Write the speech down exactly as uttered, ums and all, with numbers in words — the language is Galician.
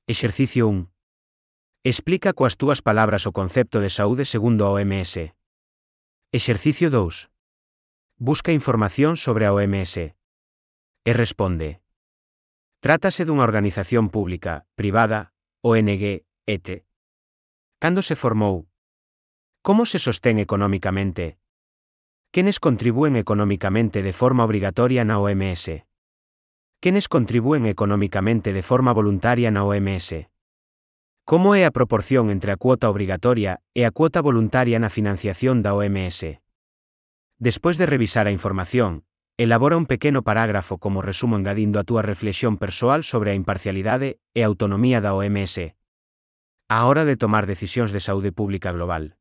Exercicio un. Explica coas túas palabras o concepto de saúde segundo a O M S. Exercicio dous. Busca información sobre a O M S. E responde. Trátase dunha organización pública, privada, O N G, et. Cando se formou? Como se sostén economicamente? Quenes contribúen economicamente de forma obrigatoria na O M S? Quenes contribúen economicamente de forma voluntaria na O M S? Como é a proporción entre a cuota obrigatoria e a cuota voluntaria na financiación da O M S? Despois de revisar a información, elabora un pequeno parágrafo como resumo engadindo a túa reflexión persoal sobre a imparcialidade e autonomía da O M S. Á hora de tomar decisións de saúde pública global.